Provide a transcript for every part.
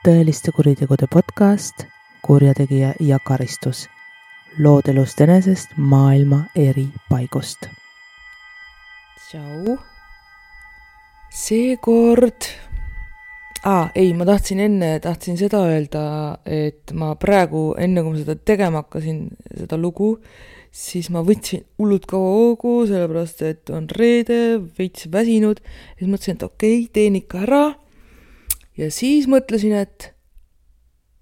tõeliste kuritegude podcast Kurjategija ja karistus. Lood elust enesest maailma eri paigust. Tšau. Seekord... ma tahtsin seda öelda, et ma praegu, enne kui ma seda tegema hakkasin, seda lugu, siis ma võtsin hullult kaua hoogu, sellepärast, et on reede, veits väsinud. Ja siis mõtlesin, et okei, teen ikka ära. Ja siis mõtlesin, et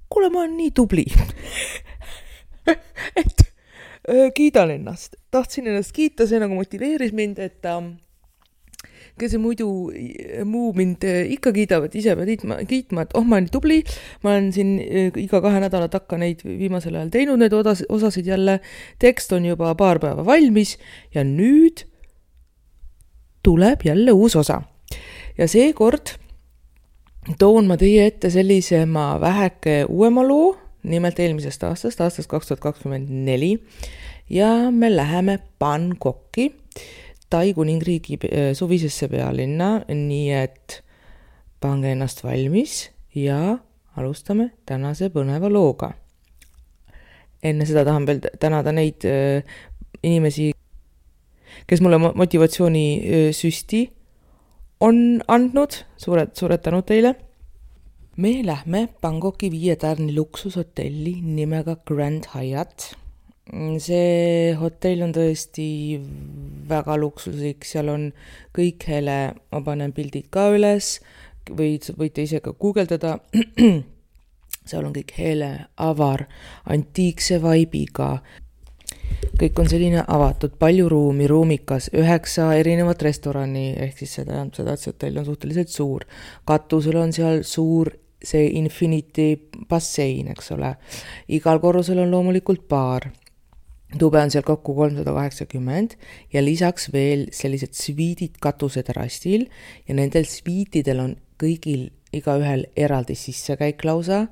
kuule, ma olen nii tubli. et kiidan ennast. Tahtsin ennast kiita, see nagu motiveeris mind, et kes see muidu muu mind ikka kiidab, et ise pead kiitma, et ma olen nii tubli. Ma olen siin iga 2 nädala takka neid viimasel ajal teinud, need osasid jälle. Tekst on juba paar päeva valmis ja nüüd tuleb jälle uus osa. Ja seekord toon ma teie ette sellise väheke uuema loo, nimelt eelmisest aastast 2024. Ja me läheme Bangkoki, Tai kuningriigi suvisesse pealinna, nii et pange ennast valmis ja alustame tänase põneva looga. Enne seda tahan veel tänada neid inimesi, kes mulle motivatsiooni süsti on andnud. Suured tänud teile. Me lähme Bangkoki 5-tärni luksushotelli nimega Grand Hyatt. See hotell on tõesti väga luksuslik, seal on kõik hele, ma panen pildid ka üles, võite ise ka guugeldada. Seal on kõik hele, avar, antiikse vaibiga. Kõik on selline avatud, palju ruumi, ruumikas, 9 erinevat restorani, ehk siis seda, et see hotell on suhteliselt suur. Katusel on seal suur see Infinity bassein, eks ole. Igal korrusel on loomulikult baar. Tube on seal kokku 380 ja lisaks veel sellised sviidid katuseterrassil ja nendel sviitidel on kõigil igaühel eraldi sissekäik lausa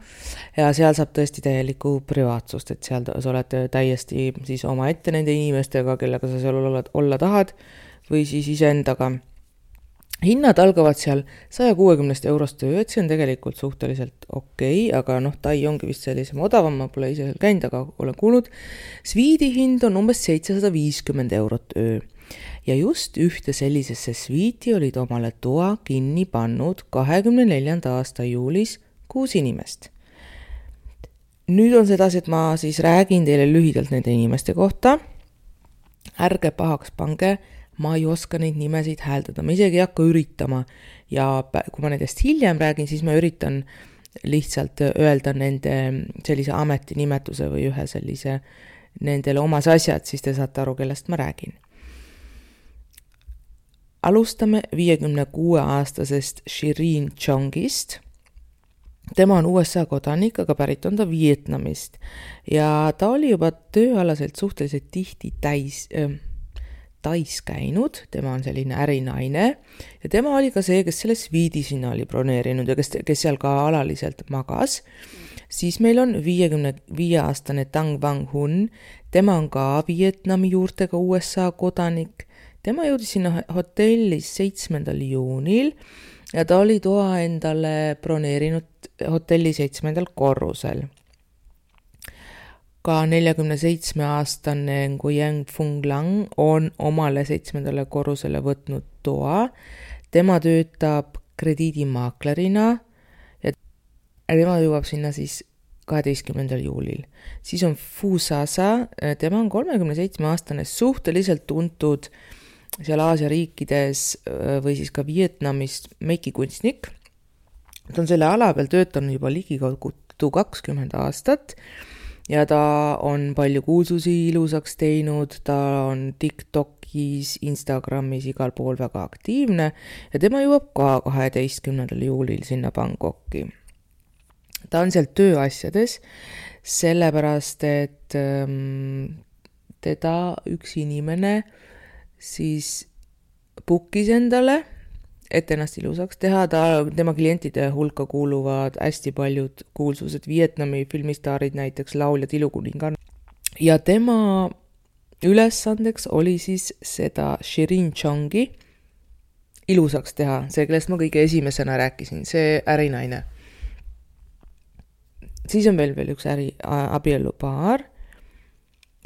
ja seal saab tõesti täielikku privaatsust, et seal sa oled täiesti siis oma ette nende inimestega, kellega sa seal olla tahad või siis iseendaga. Hinnad algavad seal 160 eurost öö, et see on tegelikult suhteliselt okei, aga Tai ongi vist sellisem odavam, ma pole ise seal käinud, aga olen kuulnud. Sviidi hind on umbes 750 eurot öö ja just ühte sellisesse sviiti olid omale toa kinni pannud 24. aasta juulis 6 inimest. Nüüd on sedasi, et ma siis räägin teile lühidalt nende inimeste kohta. Ärge pahaks pange, ma ei oska neid nimesid hääldada, ma isegi ei hakka üritama ja kui ma nendest hiljem räägin, siis ma üritan lihtsalt öelda nende sellise ametinimetuse või ühe sellise nendele omas asjad, siis te saate aru, kellest ma räägin. Alustame 56-aastasest Shirin Chongist. Tema on USA kodanik, aga pärit on ta Vietnamist ja ta oli juba tööalaselt suhteliselt tihti Tais käinud, tema on selline ärinaine ja tema oli ka see, kes selle sviidi sinna oli broneerinud ja kes seal ka alaliselt magas. Siis meil on 55-aastane Tang Wang Hun, tema on ka Vietnami juurtega USA kodanik. Tema jõudis sinna hotellis 7. juunil ja ta oli toa endale broneerinud hotelli 7. korrusel. Ka 47-aastane Nguyen Phuong Lang on omale 7. korrusele võtnud toa. Tema töötab krediidimaaklerina ja tema jõuab sinna siis 12. juulil. Siis on Phu Sasa, tema on 37-aastane, suhteliselt tuntud seal Aasia riikides või siis ka Vietnamist meikikunstnik. Ta on selle ala peal töötanud juba ligikaudu 20 aastat. Ja ta on palju kuulsusi ilusaks teinud, ta on TikTokis, Instagramis igal pool väga aktiivne ja tema jõuab ka 12. juulil sinna Bangkoki. Ta on seal tööasjades, sellepärast, et teda üks inimene siis bookis endale, et ennast ilusaks teha. Tema klientide hulka kuuluvad hästi paljud kuulsused Vietnami filmistaarid, näiteks laulja Tilukuningan. Ja tema ülesandeks oli siis seda Shirin Chongi ilusaks teha, see, kellest ma kõige esimesena rääkisin, see ärinaine. Siis on veel üks abielupaar.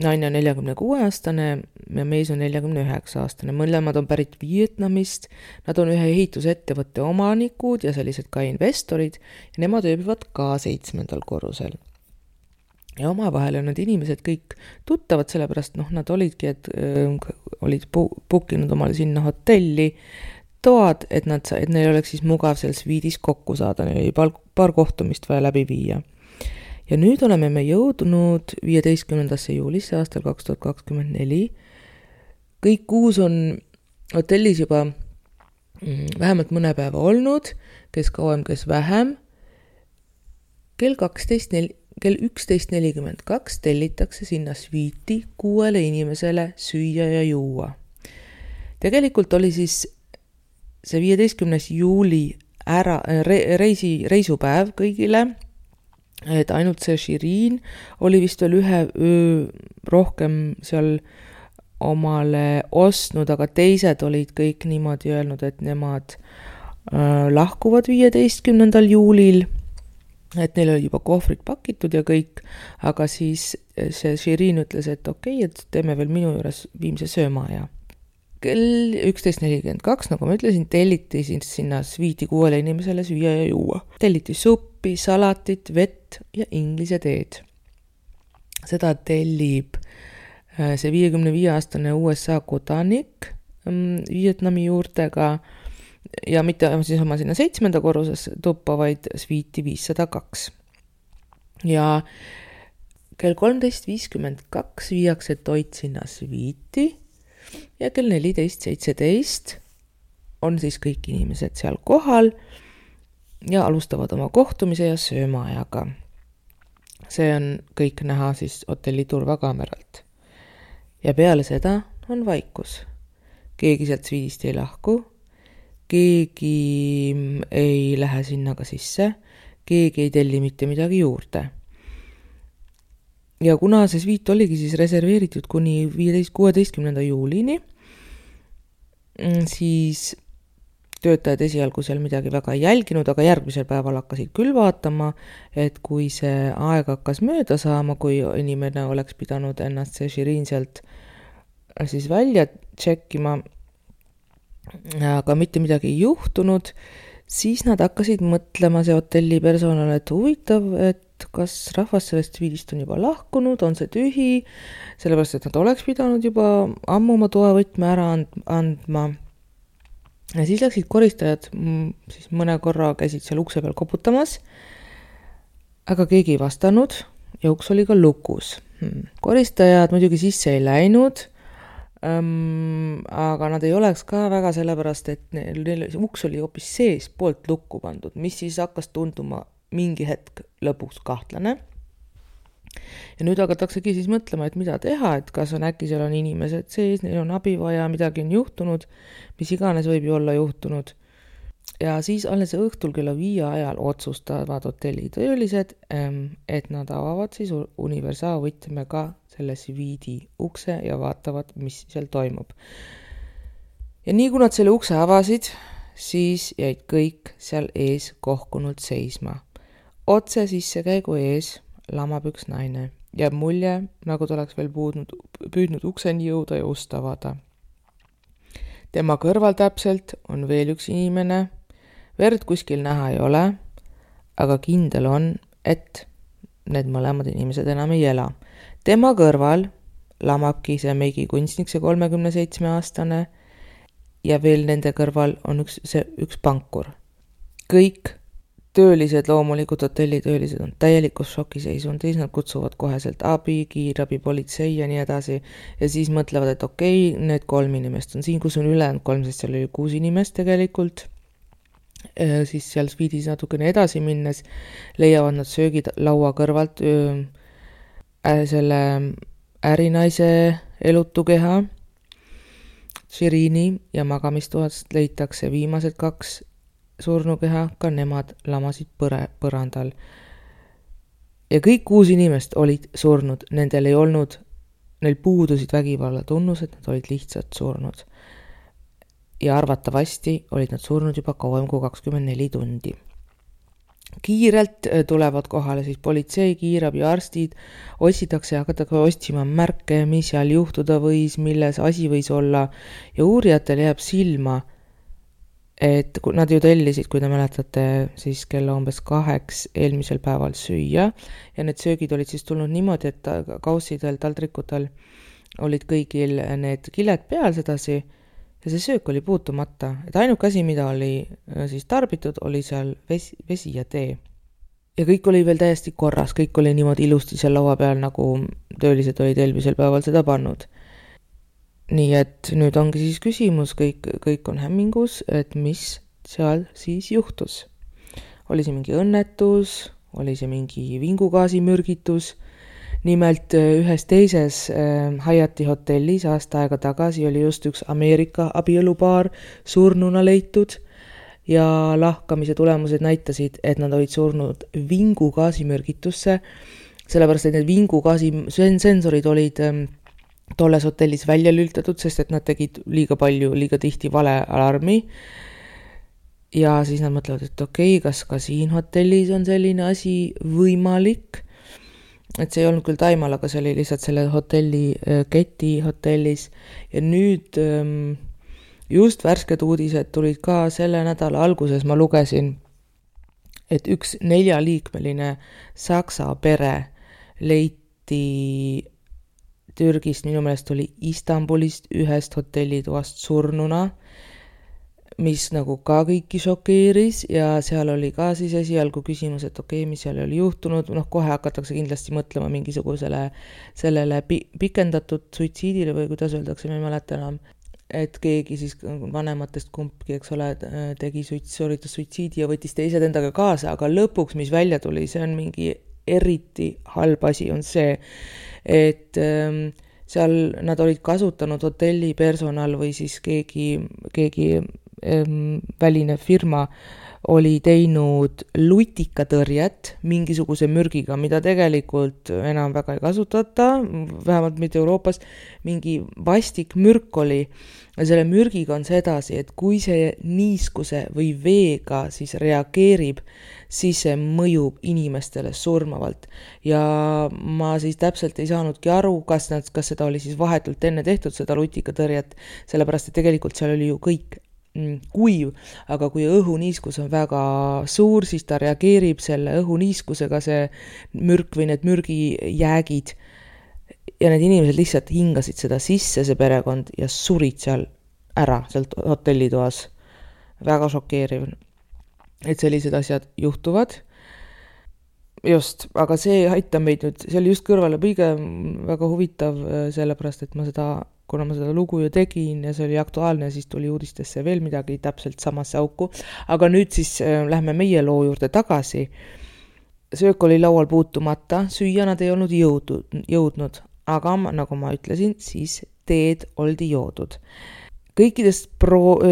Naine on 46-aastane ja mees on 49-aastane. Mõlemad on pärit Vietnamist. Nad on ühe ehitusettevõtte omanikud ja sellised ka investorid ja nemad ööbivad ka 7. korrusel. Ja omavahel on need inimesed kõik tuttavad, sellepärast nad olidki, et olid bookinud omale sinna hotelli toad, et neil oleks siis mugav seal sviidis kokku saada, neil oli paar kohtumist vaja läbi viia. Ja nüüd oleme me jõudnud 15. juulisse aastal 2024. Kõik 6 on hotellis juba vähemalt mõne päeva olnud, kes kauem, kes vähem. Kell 11.42 tellitakse sinna sviiti 6 inimesele süüa ja juua. Tegelikult oli siis see 15. juuli reisupäev kõigile, et ainult see Shirin oli vist veel ühe öö rohkem seal omale ostnud, aga teised olid kõik niimoodi öelnud, et nemad lahkuvad 15. juulil, et neil oli juba kohvrid pakitud ja kõik, aga siis see Shirin ütles, et okei, et teeme veel minu juures viimse söömaaja. Kell 11.42, nagu ma ütlesin, telliti sinna sviiti 6 inimesele süüa ja juua. Telliti suppi, salatit, vett ja inglise teed. Seda tellib see 55-aastane USA kodanik Vietnami juurtega ja mitte siis oma sinna 7. korruses tuppa, vaid sviiti 502. Ja kell 13.52 viiakse toit sinna sviiti ja kell 14.17 on siis kõik inimesed seal kohal ja alustavad oma kohtumise ja söömaajaga. See on kõik näha siis hotelli turvakaameralt. Ja peale seda on vaikus. Keegi sealt sviidist ei lahku, keegi ei lähe sinna ka sisse, keegi ei telli mitte midagi juurde. Ja kuna see sviit oligi siis reserveeritud kuni 16. juulini, siis töötajad esialgu seal midagi väga ei jälginud, aga järgmisel päeval hakkasid küll vaatama, et kui see aeg hakkas mööda saama, kui inimene oleks pidanud ennast see Shirin sealt siis välja tšekkima, aga mitte midagi ei juhtunud, siis nad hakkasid mõtlema see hotelli personal, et huvitav, et kas rahvas sellest sviidist on juba lahkunud, on see tühi, sellepärast, et nad oleks pidanud juba ammu oma toavõtme ära andma. Ja siis läksid koristajad, siis mõne korra käisid seal ukse peal koputamas, aga keegi ei vastanud ja uks oli ka lukus. Koristajad muidugi sisse ei läinud, aga nad ei oleks ka väga sellepärast, et neil uks oli hoopis sees poolt lukku pandud, mis siis hakkas tunduma mingi hetk lõpuks kahtlane. Ja nüüd hakataksegi siis mõtlema, et mida teha, et kas on äkki seal on inimesed sees, neil on abi vaja, midagi on juhtunud, mis iganes võib ju olla juhtunud. Ja siis alles õhtul kella 5 ajal otsustavad hotellitöölised, et nad avavad siis universaalvõtmega selle sviidi ukse ja vaatavad, mis seal toimub. Ja nii kui nad selle ukse avasid, siis jäid kõik seal ees kohkunult seisma. Otse sissekäigu ees lamab üks naine ja mulje, nagu ta oleks veel püüdnud ukseni jõuda ja ust avada. Tema kõrval täpselt on veel üks inimene, verd kuskil näha ei ole, aga kindel on, et need mõlemad inimesed enam ei ela. Tema kõrval lamabki see meigi kunstnik, see 37-aastane ja veel nende kõrval on üks pankur. Kõik töölised, loomulikult hotellitöölised on täielikus šokiseisundis, nad kutsuvad koheselt abi, kiirabi, politsei ja nii edasi ja siis mõtlevad, et okei, need 3 inimest on siin, kus on ülejäänud 3, sest seal oli 6 inimest tegelikult. Siis seal sviidis natukene edasi minnes leiavad nad söögid laua kõrvalt selle ärinaise elutukeha Shirini ja magamistoast leitakse viimased 2 surnukeha, ka nemad lamasid põrandal. Ja kõik 6 inimest olid surnud, neil puudusid vägivalla tunnused, nad olid lihtsalt surnud. Ja arvatavasti olid nad surnud juba kauem kui 24 tundi. Kiirelt tulevad kohale siis politsei, kiirabi, arstid, otsitakse ja hakatakse otsima märke, mis seal juhtuda võis, milles asi võis olla ja uurijatel jääb silma, et nad ju tellisid, kui te mäletate, siis kella umbes 2 eelmisel päeval süüa ja need söögid olid siis tulnud niimoodi, et kaussidel, taldrikutel olid kõigil need kiled peal sedasi ja see söök oli puutumata, et ainuke asi, mida oli siis tarbitud, oli seal vesi ja tee. Ja kõik oli veel täiesti korras, kõik oli niimoodi ilusti seal laua peal, nagu töölised olid eelmisel päeval seda pannud. Nii et nüüd ongi siis küsimus, kõik on hämmingus, et mis seal siis juhtus. Oli see mingi õnnetus, oli see mingi vingugaasimürgitus. Nimelt ühes teises Hyatti hotellis aasta aega tagasi oli just üks Ameerika abielupaar surnuna leitud ja lahkamise tulemused näitasid, et nad olid surnud vingugaasimürgitusse, sellepärast et need vingugaasi sensorid olid tolles hotellis välja lültatud, sest et nad tegid liiga tihti vale alarmi. Ja siis nad mõtlevad, et okei, kas ka siin hotellis on selline asi võimalik. Et see ei olnud küll Taimaal, aga see oli lihtsalt selle hotelli, keti hotellis. Ja nüüd just värsked uudised tulid ka selle nädala alguses, ma lugesin, et üks 4-liikmeline saksa pere leiti Türgist, minu meelest oli Istanbulist ühest hotellitoast surnuna, mis nagu ka kõiki šokeeris ja seal oli ka siis esialgu küsimus, et okei, mis seal oli juhtunud, kohe hakatakse kindlasti mõtlema mingisugusele sellele pikendatud suitsiidile või kuidas öeldakse, ma ei mäleta enam, et keegi siis vanematest kumbki, eks ole, sooritas suitsiidi ja võttis teised endaga kaasa, aga lõpuks, mis välja tuli, see on mingi eriti halb asi on see, et seal nad olid kasutanud hotelli personal või siis keegi väline firma oli teinud lutikatõrjet mingisuguse mürgiga, mida tegelikult enam väga ei kasutata, vähemalt mitte Euroopas, mingi vastik mürk oli. Ja selle mürgiga on sedasi, et kui see niiskuse või veega siis reageerib, siis see mõjub inimestele surmavalt. Ja ma siis täpselt ei saanudki aru, kas seda oli siis vahetult enne tehtud, seda lutikatõrjet, sellepärast et tegelikult seal oli ju kõik kuiv, aga kui õhuniiskus on väga suur, siis ta reageerib selle õhuniiskusega see mürk või need mürgijäägid ja need inimesed lihtsalt hingasid seda sisse, see perekond, ja surid seal ära, sealt hotellitoas. Väga šokeeriv, et sellised asjad juhtuvad. Just, aga see aitab meid nüüd, see oli just kõrvale põige väga huvitav, sellepärast, et kuna ma seda lugu ju tegin ja see oli aktuaalne, siis tuli uudistesse veel midagi täpselt samasse auku. Aga nüüd siis lähme meie loo juurde tagasi. Söök oli laual puutumata, süüa nad ei olnud jõudnud, aga nagu ma ütlesin, siis teed oldi joodud. Kõikidest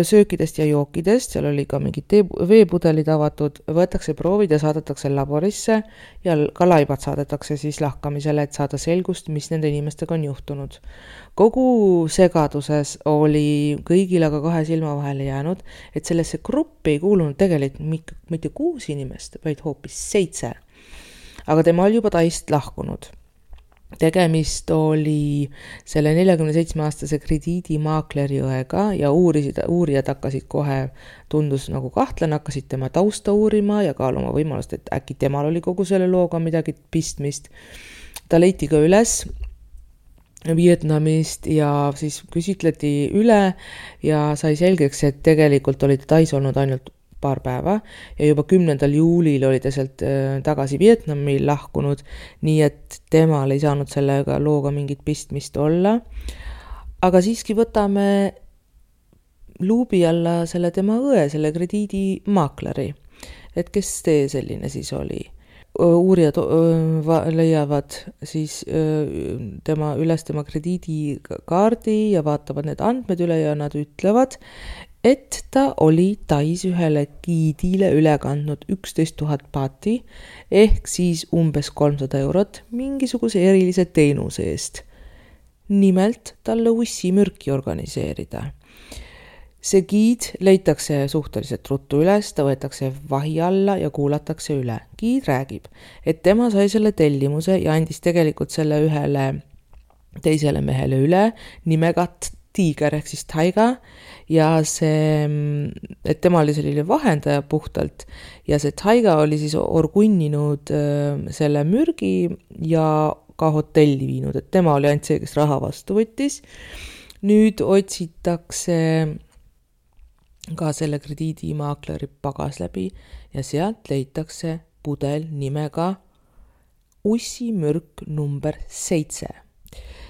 söökidest ja jookidest, seal oli ka mingid veepudelid avatud, võetakse proovid ja saadetakse laborisse ja ka laibad saadetakse siis lahkamisele, et saada selgust, mis nende inimestega on juhtunud. Kogu segaduses oli kõigil aga 2 silma vahele jäänud, et sellesse gruppi ei kuulunud tegelikult mitte 6 inimest, vaid hoopis 7. Aga tema oli juba taist lahkunud. Tegemist oli selle 47-aastase krediidimaakleri õega ja uurijad hakkasid kohe, tundus nagu kahtlane, hakkasid tema tausta uurima ja kaaluma võimalust, et äkki temal oli kogu selle looga midagi pistmist. Ta leiti ka üles Vietnamist ja siis küsitleti üle ja sai selgeks, et tegelikult oli ta tais olnud ainult paar päeva ja juba 10. juulil oli ta sealt tagasi Vietnami lahkunud, nii et temal ei saanud sellega looga mingit pistmist olla. Aga siiski võtame luubi alla selle tema õe, selle krediidimaakleri, et kes see selline siis oli. Uurijad leiavad siis üles tema krediidikaardi ja vaatavad need andmed üle ja nad ütlevad, et ta oli Tais ühele giidile üle kandnud 11 000 baati ehk siis umbes 300 eurot mingisuguse erilise teenuse eest. Nimelt talle ussimürki organiseerida. See giid leitakse suhteliselt ruttu üles, ta võetakse vahi alla ja kuulatakse üle. Giid räägib, et tema sai selle tellimuse ja andis tegelikult selle ühele teisele mehele üle nimega Tiiger ehk siis Taiga ja see, et tema oli selline vahendaja puhtalt ja see Taiga oli siis orgunninud selle mürgi ja ka hotelli viinud, et tema oli ainult see, kes raha vastu võttis. Nüüd otsitakse ka selle krediidimaakleri pagas läbi ja sealt leitakse pudel nimega ussimürk number 7.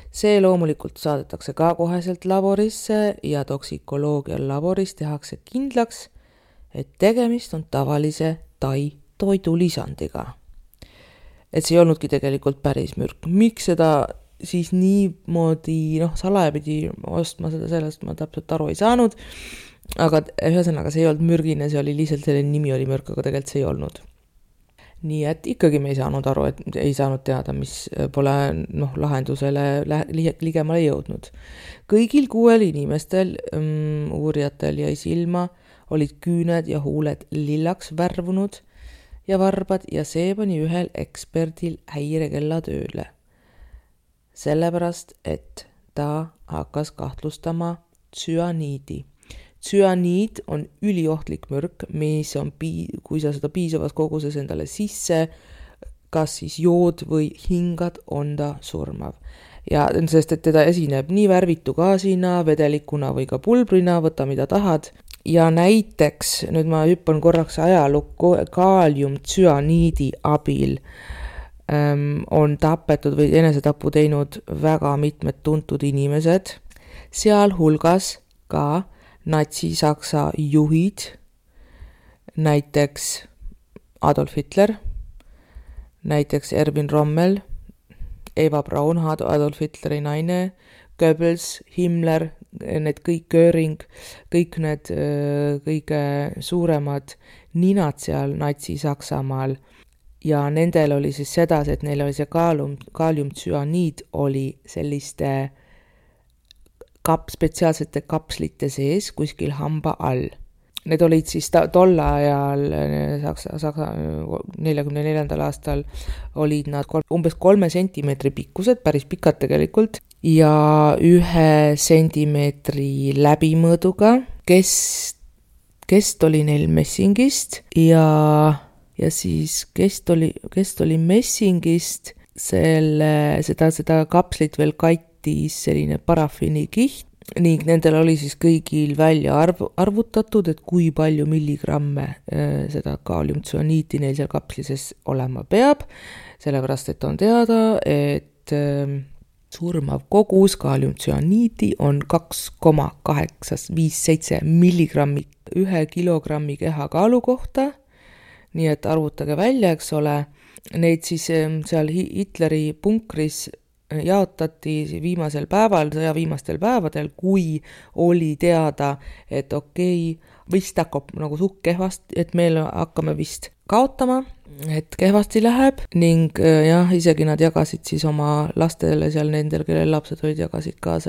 See loomulikult saadetakse ka koheselt laborisse ja toksikoloogia laboris tehakse kindlaks, et tegemist on tavalise tai toidulisandiga. Et see ei olnudki tegelikult päris mürk. Miks seda siis niimoodi salaja pidi ostma seda, sellest ma täpselt aru ei saanud, aga ühesõnaga see ei olnud mürgine, see oli lihtsalt selline nimi oli mürk, aga tegelikult see ei olnud. Nii et ikkagi me ei saanud aru, et ei saanud teada, mis pole lahendusele ligemale jõudnud. Kõigil 6 inimestel, uurijatel jäi silma, olid küüned ja huuled lillaks värvunud ja varbad ja see pani ühel eksperdil häirekella tööle. Sellepärast, et ta hakkas kahtlustama tsüaniidi. Tsüaniid on üliohtlik mürk, mis on, kui sa seda piisavas koguses endale sisse, kas siis jood või hingad, on ta surmav. Ja sest, et teda esineb nii värvitu gaasina, vedelikuna või ka pulbrina, võta mida tahad. Ja näiteks, nüüd ma hüppan korraks ajalukku, kaaliumtsüaniidi abil on tapetud või enesetapu teinud väga mitmed tuntud inimesed, seal hulgas ka Natsi-Saksa juhid, näiteks Adolf Hitler, näiteks Erwin Rommel, Eva Braun, Adolf Hitleri naine, Goebbels, Himmler, need kõik Göring, kõik need kõige suuremad ninad seal Natsi-Saksamaal ja nendel oli siis seda, et neil oli see kaaliumtsüaniid oli selliste spetsiaalsete kapslite sees kuskil hamba all. Need olid siis tol ajal, Saksa 44. aastal olid nad umbes 3 sentimeetri pikkused, päris pikad tegelikult, ja 1 sentimeetri läbimõõduga, kest oli neil messingist ja siis kest oli messingist, seda kapslit veel selline parafiinikiht ning nendel oli siis kõigil välja arvutatud, et kui palju milligramme seda kaaliumtsüaniiti neil seal kapslises olema peab, sellepärast et on teada, et surmav kogus kaaliumtsüaniiti on 2,857 milligrammi 1 kilogrammi kehakaalu kohta, nii et arvutage välja, eks ole, neid siis seal Hitleri punkris jaotati viimasel päeval, sõja viimastel päevadel, kui oli teada, et vist hakkab nagu suht kehvasti, et meil hakkame vist kaotama, et kehvasti läheb ning jah, isegi nad jagasid siis oma lastele seal nendel, kellel lapsed olid, jagasid ka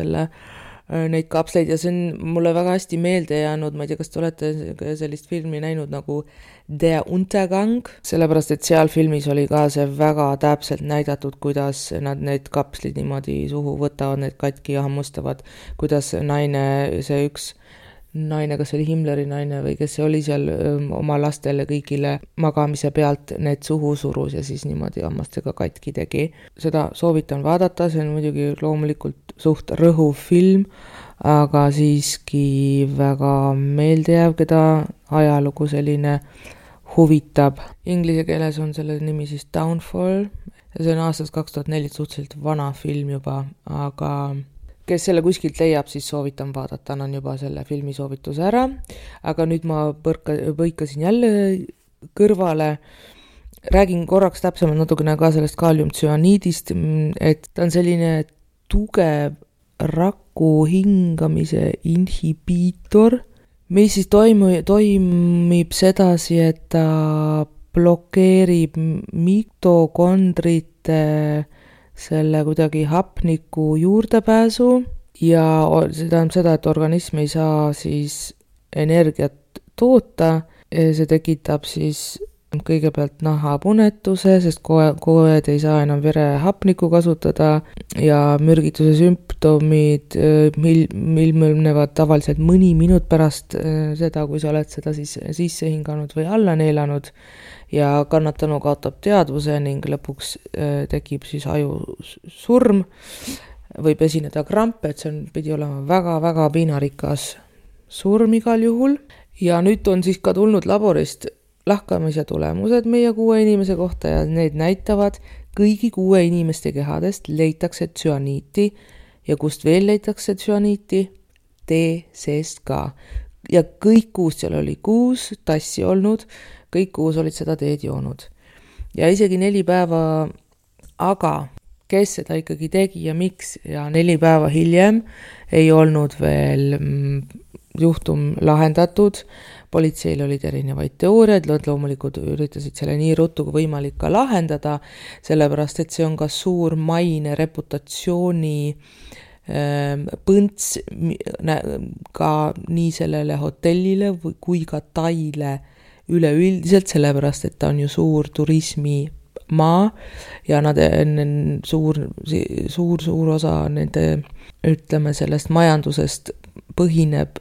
neid kapsleid ja see on mulle väga hästi meelde jäänud, ma ei tea, kas te olete sellist filmi näinud nagu Der Untergang, sellepärast, et seal filmis oli ka see väga täpselt näidatud, kuidas nad need kapslid niimoodi suhu võtavad, need katki ja hammustavad, kuidas see üks naine, kas oli Himmleri naine või kes see oli seal oma lastele kõigile magamise pealt need suhu surus ja siis niimoodi hammastega katki tegi. Seda soovitan vaadata, see on muidugi loomulikult suht rõhuv film, aga siiski väga meeldejääv, keda ajalugu selline huvitab. Inglise keeles on selle nimi siis Downfall ja see on aastast 2004, suhteliselt vana film juba, aga kes selle kuskilt leiab, siis soovitan vaadata, annan juba selle filmi soovituse ära, aga nüüd ma põikasin jälle kõrvale, räägin korraks täpsemalt natukene ka sellest kaaliumtsüaniidist, et ta on selline tugev raku hingamise inhibiitor, mis siis toimib sedasi, et ta blokeerib mitokondrite selle kuidagi hapniku juurdepääsu ja see tähendab seda, et organism ei saa siis energiat toota, see tekitab siis kõigepealt nahapunetuse, sest koed ei saa enam verehapnikku kasutada ja mürgituse sümptomid ilmnevad tavaliselt mõni minut pärast seda, kui sa oled seda siis sisse hinganud või alla neelanud ja kannatanu kaotab teadvuse ning lõpuks tekib siis ajusurm, võib esineda krampe, et see pidi olema väga-väga piinarikas surm igal juhul ja nüüd on siis ka tulnud laborist lahkamise tulemused meie 6 inimese kohta ja need näitavad, kõigi 6 inimeste kehadest leitakse tsüaniiti ja kust veel leitakse tsüaniiti? Tee seest ka. Ja kõik 6, seal oli 6 tassi olnud, kõik 6 olid seda teed joonud. Ja isegi 4 päeva, aga kes seda ikkagi tegi ja miks ja 4 päeva hiljem ei olnud veel juhtum lahendatud. Politseil olid erinevaid teooriaid, loomulikult üritasid selle nii ruttu kui võimalik ka lahendada, sellepärast et see on ka suur maine reputatsiooni põnts ka nii sellele hotellile kui ka Taile üleüldiselt, sellepärast et ta on ju suur turismimaa ja nad suur osa nende, ütleme, sellest majandusest põhineb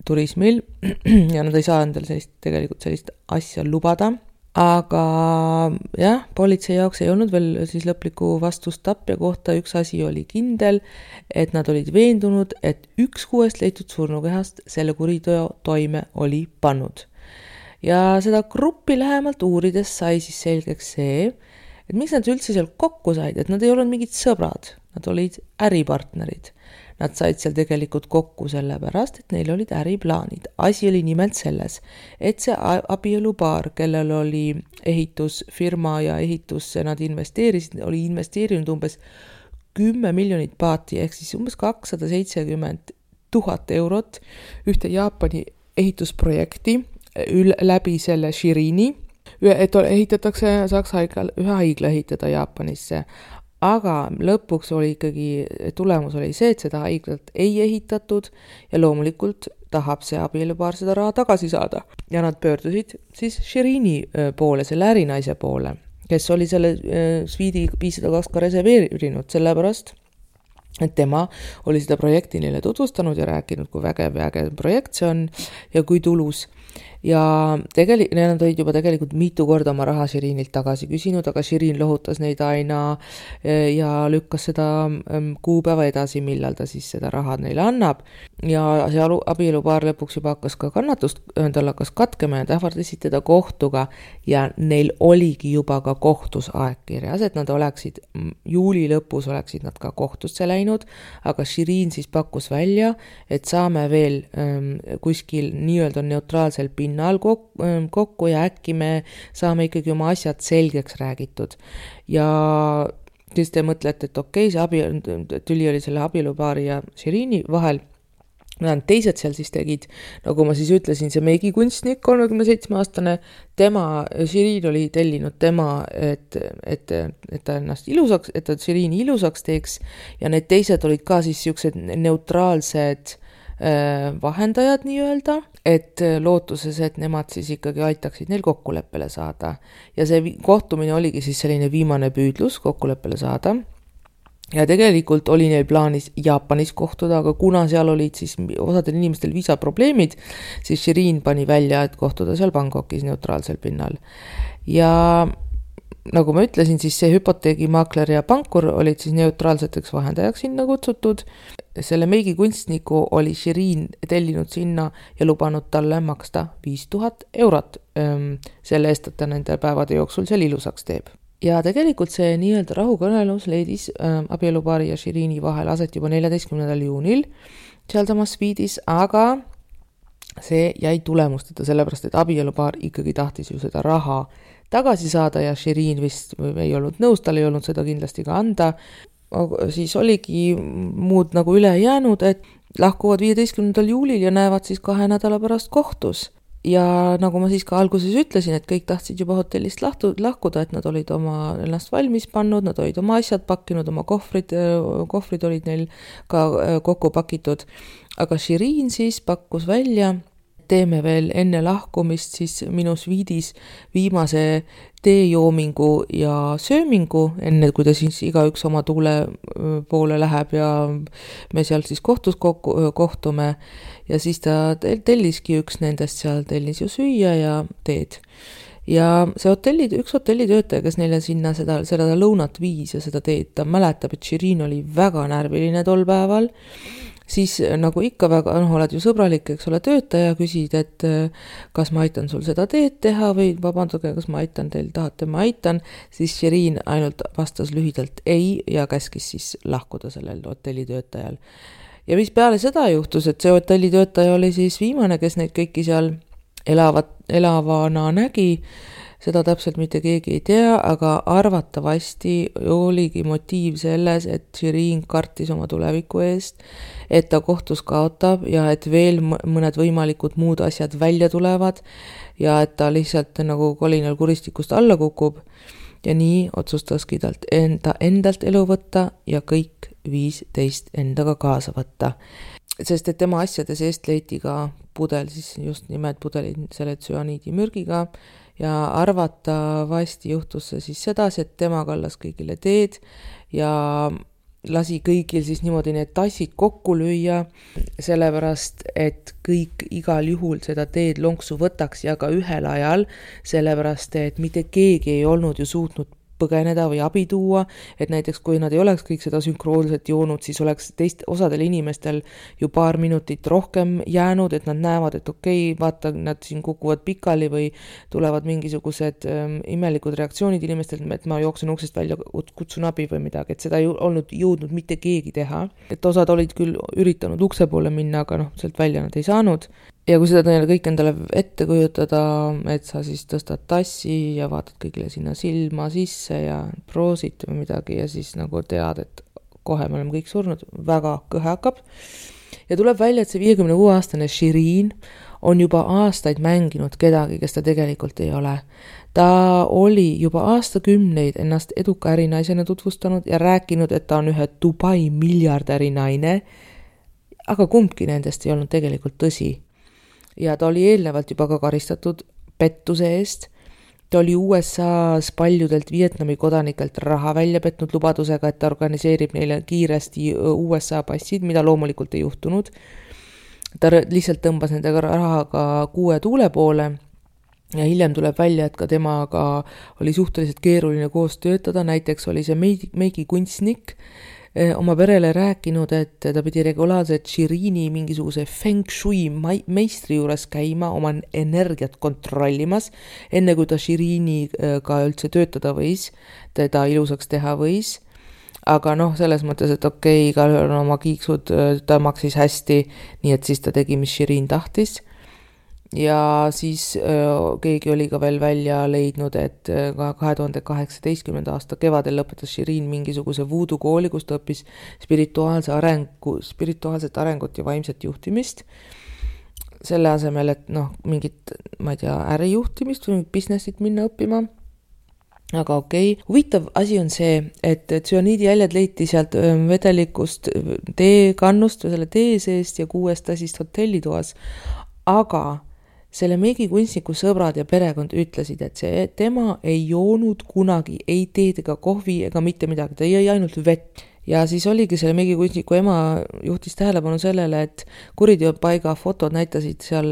turismil ja nad ei saa endale sellist asja lubada. Aga jah, politsei jaoks ei olnud veel siis lõplikku vastust tapja kohta. Üks asi oli kindel, et nad olid veendunud, et 1 6 leitud surnukehast selle kuriteo toime oli pannud. Ja seda gruppi lähemalt uurides sai siis selgeks see, et miks nad üldse seal kokku said, et nad ei olnud mingid sõbrad, nad olid äripartnerid. Nad said seal tegelikult kokku sellepärast, et neil olid äriplaanid. Asi oli nimelt selles, et see abielupaar, kellel oli ehitusfirma ja ehitusse nad investeerisid, oli investeerinud umbes 10 miljonit baati, ehk siis umbes 270 000 eurot ühte Jaapani ehitusprojekti läbi selle Shirini, et saaks ühe haigla ehitada Jaapanisse. Aga lõpuks oli ikkagi, tulemus oli see, et seda haiglat ei ehitatud ja loomulikult tahab see abielupaar seda raha tagasi saada. Ja nad pöördusid siis Shirini poole, selle ärinaise poole, kes oli selle sviidi 502 ka reserveerinud, sellepärast, et tema oli seda projekti neile tutvustanud ja rääkinud, kui vägev projekt see on ja kui tulus. Ja nad olid juba tegelikult mitu korda oma raha Shirinilt tagasi küsinud, aga Shirin lohutas neid aina ja lükkas seda kuupäeva edasi, millal ta siis seda raha neile annab. Ja see abielupaar lõpuks juba hakkas ka kannatust, tal hakkas katkema ja ähvardasid teda kohtuga ja neil oligi juba ka kohtus aeg kirjas, et nad oleksid, juuli lõpus oleksid nad ka kohtusse läinud, aga Shirin siis pakkus välja, et saame veel kuskil nii-öelda neutraalsel pinnal kokku ja äkki me saame ikkagi oma asjad selgeks räägitud. Ja siis te mõtlete, et okei, see tüli oli selle abielupaari ja Shirini vahel. Teised seal siis tegid, nagu ma siis ütlesin, see meigikunstnik, 37-aastane, Shirin oli tellinud tema, et ta ennast ilusaks, et ta Shirini ilusaks teeks ja need teised olid ka siis siuksed neutraalsed vahendajad nii-öelda, et lootuses, et nemad siis ikkagi aitaksid neil kokkuleppele saada. Ja see kohtumine oligi siis selline viimane püüdlus kokkuleppele saada. Ja tegelikult oli neil plaanis Jaapanis kohtuda, aga kuna seal olid siis osadel inimestel viisaprobleemid, siis Shirin pani välja, et kohtuda seal Bangkokis neutraalsel pinnal. Ja nagu ma ütlesin, siis see hüpoteegimaakler ja pankur olid siis neutraalseteks vahendajaks sinna kutsutud. Selle meigikunstniku oli Shirin tellinud sinna ja lubanud talle maksta 5000 eurot selle eest, et ta nende päevade jooksul seal ilusaks teeb. Ja tegelikult see nii-öelda rahukõnelus leidis abielupaari ja Shirini vahel aset juba 14. juunil sealsamas sviidis, aga see jäi tulemusteta, sellepärast, et abielupaar ikkagi tahtis ju seda raha tagasi saada ja Shirin vist ei olnud nõus, tal ei olnud seda kindlasti ka anda. Siis oligi muud nagu üle jäänud, et lahkuvad 15. juulil ja näevad siis 2 nädala pärast kohtus. ja nagu ma siis ka alguses ütlesin, et kõik tahtsid juba hotellist lahkuda, et nad olid ennast valmis pannud, nad olid oma asjad pakkinud, oma kohvrid olid neil ka kokku pakitud. Aga Shirin siis pakkus välja, teeme veel enne lahkumist siis minu sviidis viimase teejoomingu ja söömingu, enne kui ta siis igaüks oma tuule poole läheb ja me seal siis kohtus kohtume. Ja siis ta telliski üks nendest seal, tellis ju süüa ja teed. Ja see üks hotellitöötaja, kes neile sinna seda lõunat viis ja seda teed, ta mäletab, et Shirin oli väga närviline tol päeval. Siis nagu ikka väga, oled ju sõbralik, eks ole, töötaja, küsid, et kas ma aitan sul seda teed teha või vabandage, kas ma aitan teil, tahate ma aitan, siis Shirin ainult vastas lühidalt ei ja käskis siis lahkuda sellel hotellitöötajal. Ja mis peale seda juhtus, et see hotellitöötaja oli siis viimane, kes neid kõiki seal elavana nägi, seda täpselt mitte keegi ei tea, aga arvatavasti oligi motiiv selles, et Shirin kartis oma tuleviku eest, et ta kohtus kaotab ja et veel mõned võimalikud muud asjad välja tulevad ja et ta lihtsalt nagu kolinal kuristikust alla kukub. Ja nii otsustaski talt endalt elu võtta ja kõik 15 endaga kaasa võtta. Sest et tema asjade seest leiti ka pudel, siis just nimelt pudelid selle tsüaniidimürgiga ja arvatavasti juhtus see siis sedasi, et tema kallas kõigile teed ja lasi kõigil siis niimoodi need tassid kokku lüüa, sellepärast, et kõik igal juhul seda teed lonksu võtaks ja ka ühel ajal, sellepärast, et mitte keegi ei olnud ju suutnud põgeneda või abi tuua, et näiteks kui nad ei oleks kõik seda sünkroonselt joonud, siis oleks osadel inimestel ju paar minutit rohkem jäänud, et nad näevad, et okei, vaata, nad siin kukuvad pikali või tulevad mingisugused imelikud reaktsioonid inimestel, et ma jooksen uksest välja, kutsun abi või midagi, et seda ei olnud jõudnud mitte keegi teha. Et osad olid küll üritanud ukse poole minna, aga sealt välja nad ei saanud. Ja kui seda kõik endale ette kujutada, et sa siis tõstad tassi ja vaatad kõigile sinna silma sisse ja proosid või midagi ja siis nagu tead, et kohe me oleme kõik surnud, väga kõhe hakkab. Ja tuleb välja, et see 56-aastane Shirin on juba aastaid mänginud kedagi, kes ta tegelikult ei ole. Ta oli juba aastakümneid ennast eduka ärinaisena tutvustanud ja rääkinud, et ta on ühe Dubai miljardäri naine, aga kumbki nendest ei olnud tegelikult tõsi. Ja ta oli eelnevalt juba ka karistatud pettuse eest. Ta oli USA-s paljudelt Vietnami kodanikelt raha välja petnud lubadusega, et ta organiseerib neile kiiresti USA passid, mida loomulikult ei juhtunud. Ta lihtsalt tõmbas nendega rahaga 6 tuule poole ja hiljem tuleb välja, et ka temaga oli suhteliselt keeruline koos töötada, näiteks oli see meigikunstnik oma perele rääkinud, et ta pidi regulaarselt Shirini mingisuguse feng shui meistri juures käima, oma energiat kontrollimas, enne kui ta Shiriniga üldse töötada võis, teda ilusaks teha võis. Aga selles mõttes, et okei, igal on oma kiiksud, ta maksis hästi, nii et siis ta tegi, mis Shirin tahtis. Ja siis keegi oli ka veel välja leidnud, et 2018. aasta kevadel lõpetas Shirin mingisuguse voodoo kooli, kus ta õppis spirituaalset arengut ja vaimset juhtimist. Selle asemel, et mingit, ma ei tea, ärijuhtimist või businessit minna õppima. Aga okei. Huvitav asi on see, et tsüaniidijäljed leiti sealt vedelikust teekannust või selle tee seest ja 6 tassist hotellitoas, aga selle meigikunstniku sõbrad ja perekond ütlesid, et tema ei joonud kunagi ei teed ega kohvi ega mitte midagi, ta jõi ainult vett. Ja siis oligi selle meigikunstniku ema juhtis tähelepanu sellele, et kuriteopaiga fotod näitasid seal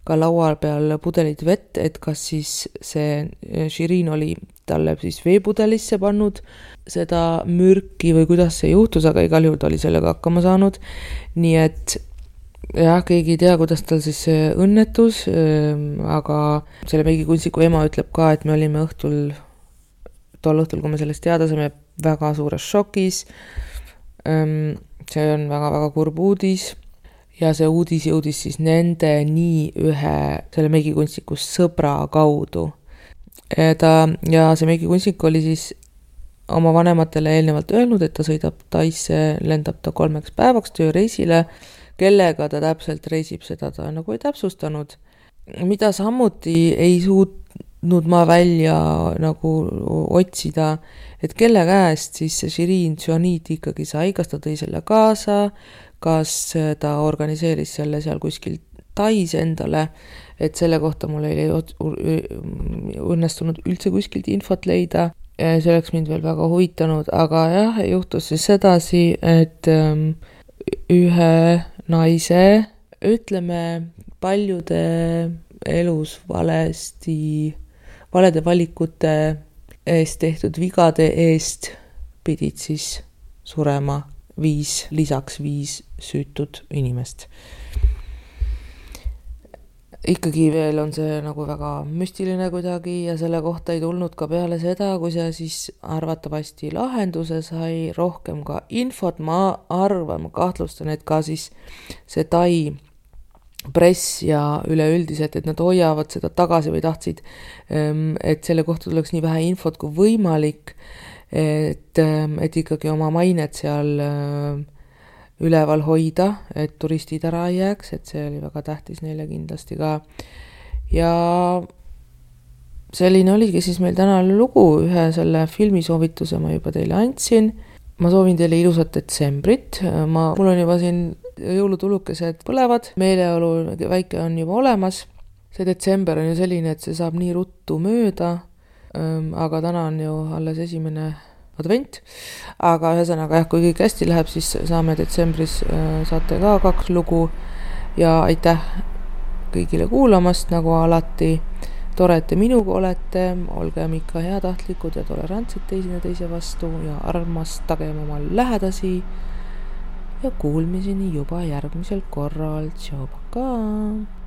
ka laua peal pudelid vett, et kas siis see Shirin oli talle siis veepudelisse pannud seda mürki või kuidas see juhtus, aga igal juhul ta oli sellega hakkama saanud. Nii et jah, keegi ei tea, kuidas tal siis see õnnetus, aga selle meigikunstniku ema ütleb ka, et me olime tol õhtul, kui me sellest teada saime, väga suures šokis. See on väga-väga kurb uudis ja see uudis jõudis siis nende selle meigikunstniku sõbra kaudu. Ja see meigikunstnik oli siis oma vanematele eelnevalt öelnud, et ta sõidab Taisse, lendab ta 3 päevaks tööreisile, kellega ta täpselt reisib, seda ta nagu ei täpsustanud. mida samuti ei suutnud ma välja nagu otsida, et kelle käest siis see Shirin Juanid ikkagi sai, kas ta tõi selle kaasa, kas ta organiseeris selle seal kuskil Tais endale, et selle kohta mul ei õnnestunud üldse kuskilt infot leida. See oleks mind veel väga huvitanud, aga jah, juhtus siis sedasi, et ühe naise, ütleme, paljude elus valede valikute eest tehtud vigade eest pidid siis surema lisaks 5 süütud inimest. Ikkagi veel on see nagu väga müstiline kuidagi ja selle kohta ei tulnud ka peale seda, kui see siis arvatavasti lahenduse sai, rohkem ka infot. Ma kahtlustan, et ka siis see Tai press ja üleüldiselt, et nad hoiavad seda tagasi või tahtsid, et selle kohta tuleks nii vähe infot kui võimalik, et ikkagi oma mainet seal üleval hoida, et turistid ära ei jääks, et see oli väga tähtis neile kindlasti ka. Ja selline oligi siis meil tänane lugu, ühe selle filmisoovituse ma juba teile andsin. Ma soovin teile ilusat detsembrit, mul on juba siin jõulutulukesed põlevad, meeleolu väike on juba olemas. See detsember on ju selline, et see saab nii ruttu mööda, aga täna on ju alles 1. advent, aga ühesõnaga jah, kui kõik hästi läheb, siis saame detsembris, saate ka 2 lugu ja aitäh kõigile kuulamast, nagu alati. Tore, et te minuga olete, olgem ikka heatahtlikud ja tolerantsed teise vastu ja armastagem oma lähedasi ja kuulmiseni juba järgmisel korral. Tšau, pakaa!